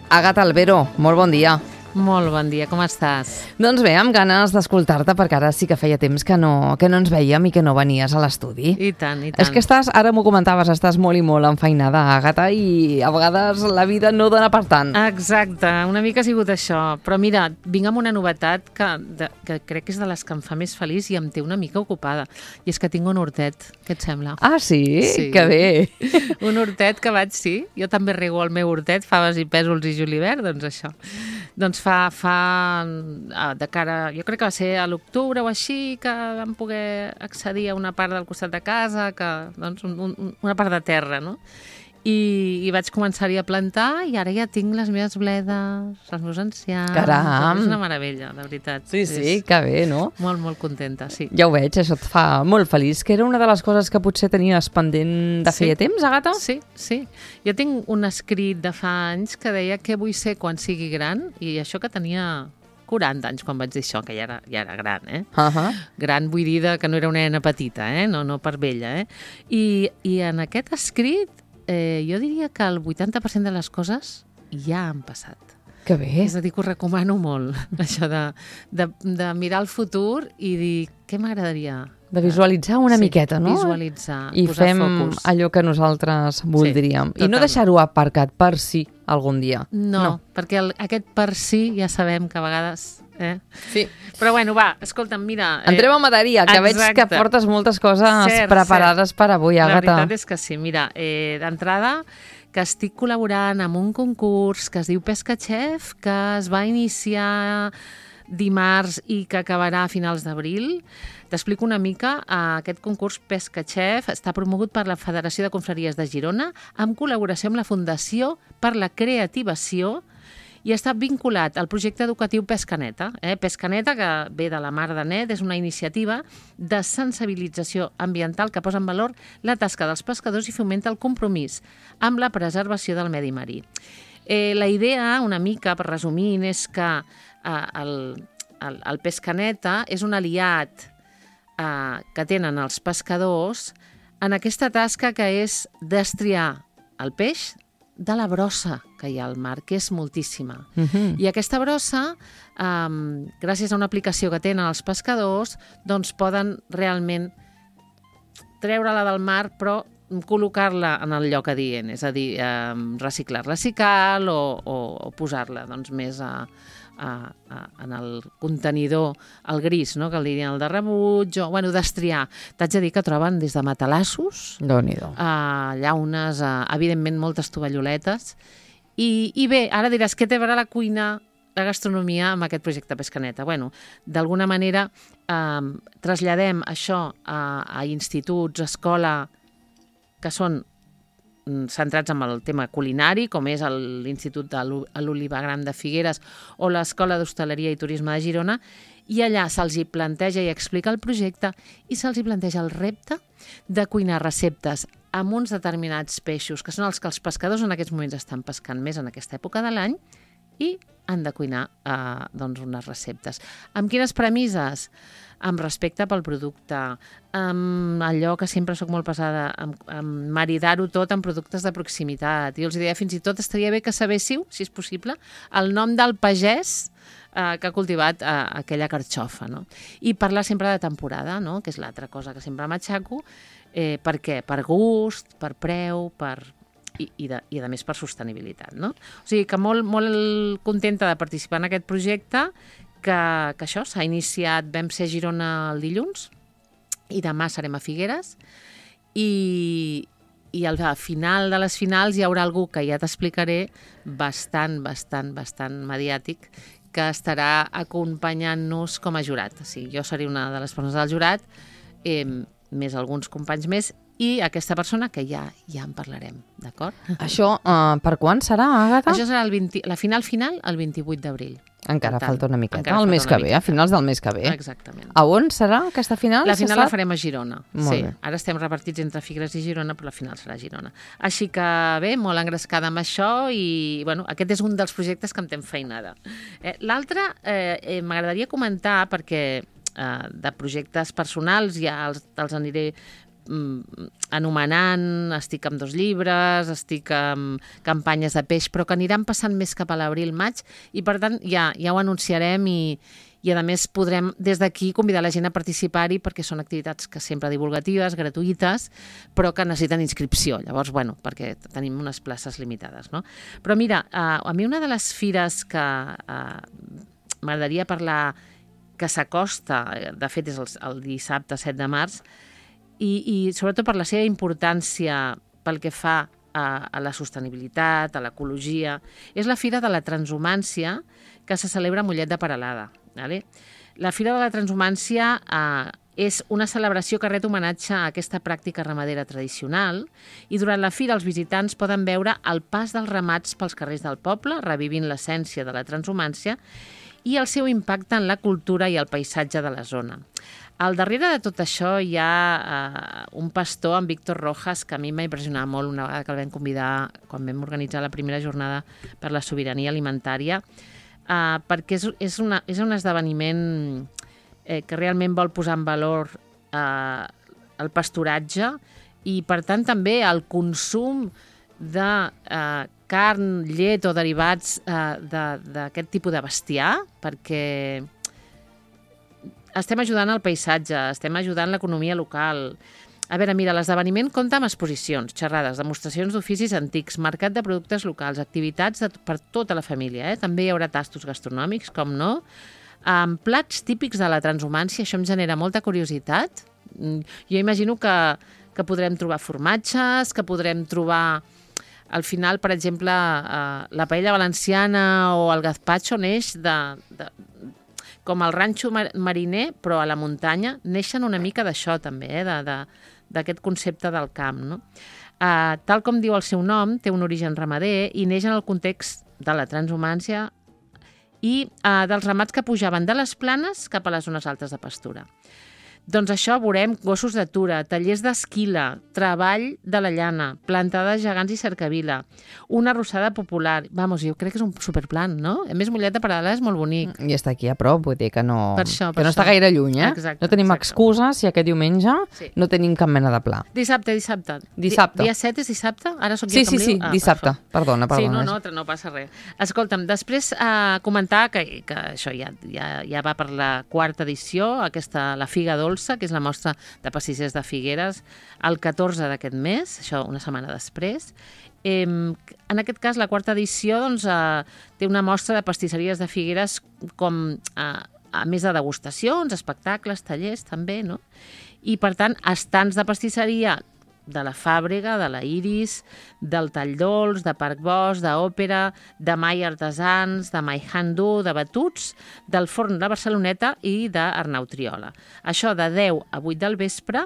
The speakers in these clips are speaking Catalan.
Àgata Albero, molt bon dia. Molt bon dia, com estàs? Doncs bé, amb ganes d'escoltar-te, perquè ara sí que feia temps que no ens veiem i que no venies a l'estudi. I tant, i tant. És que ara m'ho comentaves, estàs molt i molt enfeinada, Àgata, i a vegades la vida no dona per tant. Exacte, una mica ha sigut això. Però mira, vinc amb una novetat que crec que és de les que em fa més feliç i em té una mica ocupada. I és que tinc un hortet, què et sembla? Ah, sí? Sí. Que bé. Un hortet que vaig, sí. Jo també rego el meu hortet, faves i pèsols i julivert, doncs això. Doncs fa de cara, jo crec que va ser a l'octubre o així, que vam poder accedir a una part del costat de casa, doncs una part de terra, no? I vaig començar-hi a plantar i ara ja tinc les meves bledes, els meus enciams. Caram! És una meravella, de veritat. Sí, que bé, no? Molt, molt contenta, sí. Ja ho veig, això et fa molt feliç, que era una de les coses que potser tenies pendent de feia temps, Àgata? Sí. Jo tinc un escrit de fa anys que deia què vull ser quan sigui gran, i això que tenia 40 anys quan vaig dir això, que ja era gran, eh? Gran vull dir que no era una nena petita, no per vella, I en aquest escrit jo diria que el 80% de les coses ja han passat. Que bé. És a dir, que ho recomano molt, això de mirar el futur i dir què m'agradaria. De visualitzar una miqueta, no? Visualitzar, i posar fem focus. allò que nosaltres voldríem. Sí, I no deixar-ho aparcat per si algun dia. No, perquè aquest per si ja sabem que a vegades... Sí. Però bueno, va, escolta'm, mira... Entrem a matèria, que veig que portes moltes coses preparades per avui, Àgata. La veritat és que sí. Mira, d'entrada, que estic col·laborant amb un concurs que es diu Pesca Chef, que es va iniciar dimarts i que acabarà a finals d'abril. T'explico una mica. Aquest concurs Pesca Chef està promogut per la Federació de Confraries de Girona amb col·laboració amb la Fundació per la Creativació i està vinculat al projecte educatiu Pescaneta. Pescaneta, que ve de la mar de net, és una iniciativa de sensibilització ambiental que posa en valor la tasca dels pescadors i fomenta el compromís amb la preservació del medi marí. La idea, una mica, per resumir, és que el Pescaneta és un aliat que tenen els pescadors en aquesta tasca que és destriar el peix de la brossa que hi ha al mar, que és moltíssima. I aquesta brossa, gràcies a una aplicació que tenen els pescadors, doncs poden realment treure-la del mar, però col·locar-la en el lloc adient, és a dir, reciclar-la si cal o posar-la doncs, més en el contenidor, el gris, no? Que li diuen el de rebuig, o destriar. T'haig de dir que troben des de matalassos, llaunes, evidentment moltes tovalloletes. I bé, ara diràs, què té a veure la cuina, la gastronomia amb aquest projecte Pescaneta? D'alguna manera traslladem això a instituts, escola, que són centrats en el tema culinari, com és l'Institut de l'Oliva Gran de Figueres o l'Escola d'Hostaleria i Turisme de Girona, i allà se'ls hi planteja i explica el projecte i se'ls hi planteja el repte de cuinar receptes amb uns determinats peixos, que són els que els pescadors en aquests moments estan pescant més en aquesta època de l'any, i han de cuinar unes receptes. Amb quines premisses? Amb respecte pel producte, amb allò que sempre sóc molt pesada, amb maridar-ho tot amb productes de proximitat. I els deia, fins i tot estaria bé que sabéssiu, si és possible, el nom del pagès que ha cultivat aquella carxofa, no? I parlar sempre de temporada, no? Que és l'altra cosa que sempre m'aixaco. Per què? Per gust, per preu, i a més per sostenibilitat, no? O sigui que molt, molt contenta de participar en aquest projecte, que això s'ha iniciat, vam ser a Girona el dilluns i demà serem a Figueres i al final de les finals hi haurà algú que ja t'explicaré bastant mediàtic que estarà acompanyant-nos com a jurat. O sigui, jo seré una de les persones del jurat, més alguns companys més, i aquesta persona que ja en parlarem, d'acord? Això per quan serà, Àgata? Això serà la final el 28 d'abril. Encara falta una miqueta, el mes que ve, a finals del mes que ve. Exactament. A on serà aquesta final? La final la farem a Girona. Sí. Ara estem repartits entre Figueres i Girona, però la final serà a Girona. Així que bé, molt engrescada amb això i aquest és un dels projectes que em té enfeinada. L'altre m'agradaria comentar perquè de projectes personals ja els aniré anomenant, estic amb 2 llibres, estic amb campanyes de peix, però que aniran passant més cap a l'abril-maig i, per tant, ja ho anunciarem i a més podrem des d'aquí convidar la gent a participar-hi perquè són activitats que sempre divulgatives, gratuïtes, però que necessiten inscripció. Llavors, bueno, perquè tenim unes places limitades, no? Però mira, a mi una de les fires que m'agradaria parlar que s'acosta, de fet és el dissabte 7 de març, i sobretot per la seva importància pel que fa a la sostenibilitat, a l'ecologia, és la Fira de la Transhumància que se celebra a Mollet de Peralada. Vale? La Fira de la Transhumància és una celebració que ret homenatge a aquesta pràctica ramadera tradicional i durant la fira els visitants poden veure el pas dels ramats pels carrers del poble, revivint l'essència de la transhumància i el seu impacte en la cultura i el paisatge de la zona. Al darrere de tot això hi ha un pastor, en Víctor Rojas, que a mi m'ha impressionat molt una vegada que el vam convidar quan vam organitzar la primera jornada per la sobirania alimentària, perquè és un esdeveniment que realment vol posar en valor el pasturatge i, per tant, també el consum de carn, llet o derivats d'aquest tipus de bestiar, perquè estem ajudant el paisatge, estem ajudant l'economia local. A veure, mira, l'esdeveniment compta amb exposicions, xerrades, demostracions d'oficis antics, mercat de productes locals, activitats per tota la família. També hi haurà tastos gastronòmics, com no, amb plats típics de la transhumància. Això em genera molta curiositat. Jo imagino que podrem trobar formatges, que podrem trobar... Al final, per exemple, la paella valenciana o el gazpacho neix com el ranxo mariner, però a la muntanya, neixen una mica d'això també, d'aquest concepte del camp. No? Tal com diu el seu nom, té un origen ramader i neix en el context de la transhumància i dels ramats que pujaven de les planes cap a les zones altes de pastura. Doncs això, veurem gossos d'atura, tallers d'esquila, treball de la llana, plantada de gegants i cercavila, una arrossada popular. Vamos, jo crec que és un superplan, no? A més, Mollet de Peralada és molt bonic. I està aquí a prop, vull dir que no està això. gaire lluny, eh? Exacte, no tenim excusa si aquest diumenge no tenim cap mena de pla. Dissabte. Dia 7 és dissabte? Ara soc jo que em Sí, dissabte. Perdona. Sí, no passa res. Escolta'm, després comentar que això ja va per la 4ª edició, la Figa Dolça, que és la mostra de pastissers de Figueres, el 14 d'aquest mes, això una setmana després. En aquest cas, la 4ª edició té una mostra de pastisseries de Figueres com a més de degustacions, espectacles, tallers també, no? I, per tant, estands de pastisseria de la Fàbrega, de la Iris, del Tall Dolç, de Parc Bosch, d'Òpera, de Mai Artesans, de Mai Handú, de Batuts, del Forn de Barceloneta i d'Arnau Triola. Això de 10 a 8 del vespre,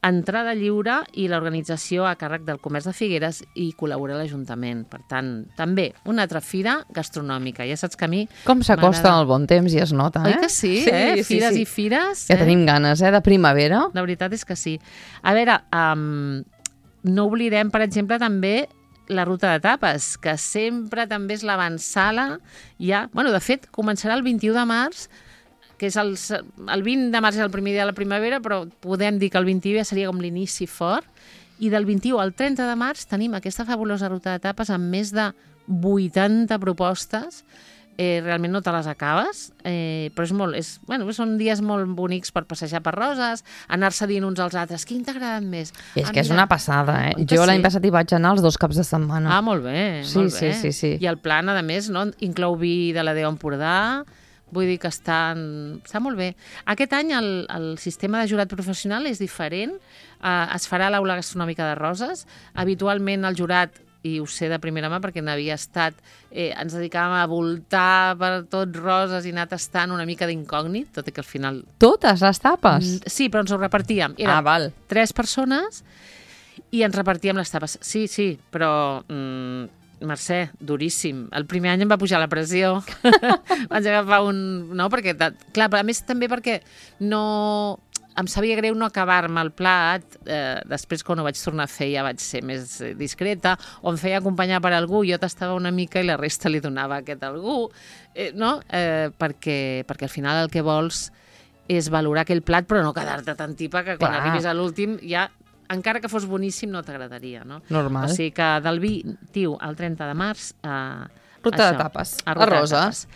entrada lliure i l'organització a càrrec del Comerç de Figueres i col·labora l'Ajuntament. Per tant, també una altra fira gastronòmica. Ja saps que a mi... Com s'acosta el bon temps i es nota, Oi que sí, Fires i fires. Ja tenim ganes, de primavera. La veritat és que sí. A veure, no oblidem, per exemple, també la ruta de tapes, que sempre també és l'avançala. De fet, començarà el 21 de març, que és el 20 de març és el primer dia de la primavera, però podem dir que el 21 ja seria com l'inici fort, i del 21 al 30 de març tenim aquesta fabulosa ruta de tapes amb més de 80 propostes. Realment no te les acabes, però són dies molt bonics per passejar per Roses, anar-se dient uns als altres, quin t'ha agradat més? És que és una passada, Jo l'any passat hi vaig anar els 2 caps de setmana. Molt bé, molt bé. Sí. I el plan, a més, inclou vi de la Déu Empordà. Vull dir que està molt bé. Aquest any el sistema de jurat professional és diferent. Es farà a l'Aula Gastronòmica de Roses. Habitualment el jurat, i ho sé de primera mà perquè n'havia estat, ens dedicàvem a voltar per tot Roses i anar tastant una mica d'incògnit, tot i que al final... Totes les tapes? Sí, però ens ho repartíem. Val. 3 persones i ens repartíem les tapes. Sí, però... Mercè, duríssim. El primer any em va pujar la pressió. Vaig agafar no, perquè... Clar, però a més també perquè no... Em sabia greu no acabar-me el plat. Després, quan ho vaig tornar a fer, ja vaig ser més discreta. O em feia acompanyar per algú, jo tastava una mica i la resta li donava a aquest algú. No? Perquè al final el que vols és valorar aquell plat, però no quedar-te tan tipa que quan arribis a l'últim ja encara que fos boníssim no t'agradaria, no? Normal. O sigui que del 20 al 30 de març... Ruta de tapes, a Roses.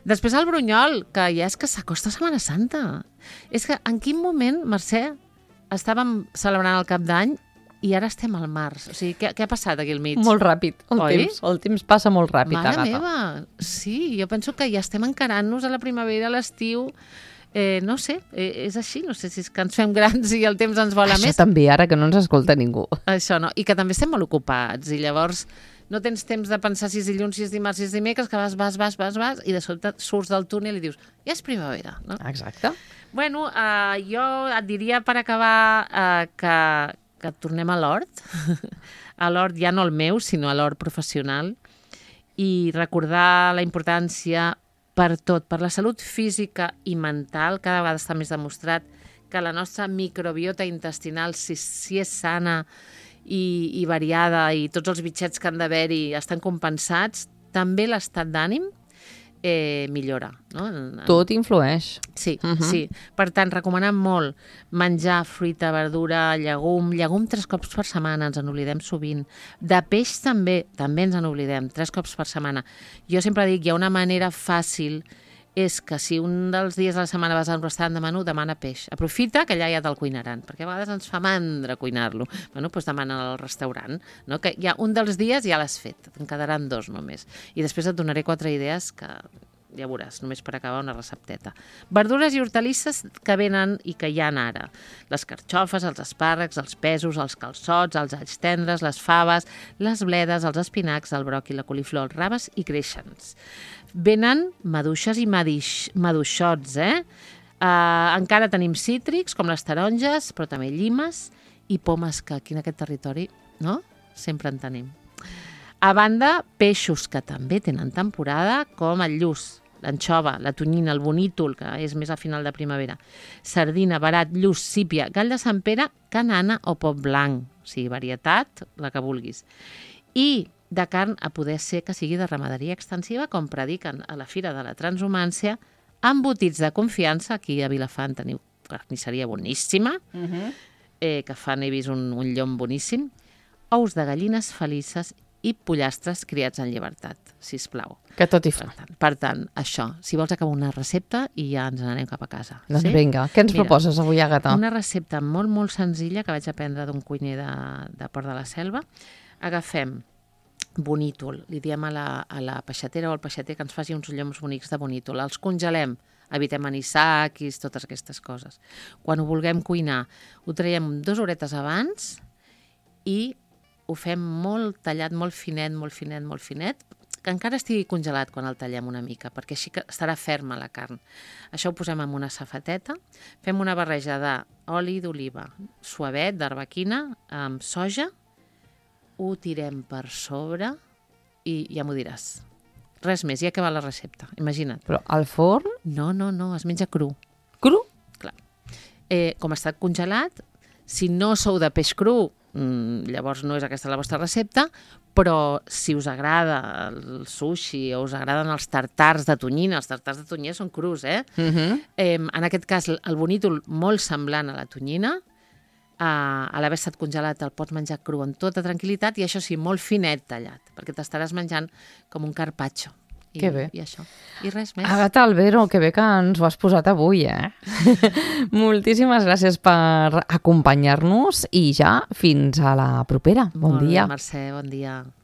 Després el Brunyol, que ja és que s'acosta Setmana Santa. És que en quin moment, Mercè, estàvem celebrant el Cap d'Any i ara estem al març. O sigui, què ha passat aquí al mig? Molt ràpid. El temps passa molt ràpid, Mare Àgata. meva, sí, jo penso que ja estem encarant-nos a la primavera, a l'estiu. No sé, és així, no sé si és que ens fem grans i el temps ens vola més. Això també, ara que no ens escolta ningú. Això no, i que també estem molt ocupats i llavors no tens temps de pensar si és dilluns, si és dimarts, si és dimecres, que vas i de sobte surts del túnel i dius, ja és primavera, no? Exacte. Bueno, jo et diria per acabar que tornem a l'hort, a l'hort ja no el meu, sinó a l'hort professional, i recordar la importància per tot, per la salut física i mental, cada vegada està més demostrat que la nostra microbiota intestinal, si és sana i variada i tots els bitxets que han d'haver-hi estan compensats, també l'estat d'ànim millora. No? Tot influeix. Sí, sí. Per tant, recomanem molt menjar fruita, verdura, llegum 3 cops per setmana, ens en oblidem sovint. De peix també ens en oblidem, 3 cops per setmana. Jo sempre dic, hi ha una manera fàcil, és que si un dels dies de la setmana vas a un restaurant de menú, demana peix. Aprofita que allà ja te'l cuinaran, perquè a vegades ens fa mandra cuinar-lo. Bueno, doncs demana al restaurant, no? Que ja un dels dies ja l'has fet, en quedaran 2 només. I després et donaré 4 idees que ja veuràs, només per acabar una recepteta. Verdures i hortalisses que venen i que hi ha ara. Les carxofes, els espàrrecs, els pèsols, els calçots, els alls tendres, les faves, les bledes, els espinacs, el bròquil, la coliflor, els raves i creixens. Venen maduixes i maduixots, encara tenim cítrics, com les taronges, però també llimes i pomes, que aquí en aquest territori, no?, sempre en tenim. A banda, peixos que també tenen temporada, com el lluç, l'anxova, la tonyina, el bonítol, que és més a final de primavera, sardina, verat, lluç, sípia, gall de Sant Pere, canana o pop blanc, o sigui, varietat, la que vulguis. I de carn, a poder ser que sigui de ramaderia extensiva, com prediquen a la Fira de la Transhumància, embotits de confiança, aquí a Vilafant teniu carnisseria boníssima, que fan, he vist un llom boníssim, ous de gallines felices i pollastres criats en llibertat, sisplau. Que tot hi fa. Per tant, això, si vols acabar una recepta i ja ens n'anem cap a casa. Doncs vinga, què ens proposes avui, Àgata? Una recepta molt, molt senzilla que vaig aprendre d'un cuiner de Port de la Selva. Agafem bonítol, li diem a la peixatera o al peixater que ens faci uns lloms bonics de bonítol. Els congelem, evitem anisakis, totes aquestes coses. Quan ho vulguem cuinar, ho traiem 2 horetes abans i ho fem molt tallat, molt finet, que encara estigui congelat quan el tallem una mica, perquè així que estarà ferma la carn. Això ho posem en una safateta, fem una barreja d'oli d'oliva, suavet, d'arbequina, amb soja, ho tirem per sobre i ja m'ho diràs. Res més, ja ha acabat la recepta, imagina't. Però al forn? No, es menja cru. Cru? Clar. Com està congelat, si no sou de peix cru, llavors no és aquesta la vostra recepta, però si us agrada el sushi o us agraden els tartars de tonyina, els tartars de tonyina són crus, en aquest cas el bonítol molt semblant a la tonyina, a l'haver estat congelat el pots menjar cru amb tota tranquil·litat i això sí, molt finet tallat, perquè t'estaràs menjant com un carpaccio. Que bé. I això. I res més. Àgata Albero, que bé que ens ho has posat avui, Moltíssimes gràcies per acompanyar-nos i ja fins a la propera. Bon dia. Mercè, bon dia.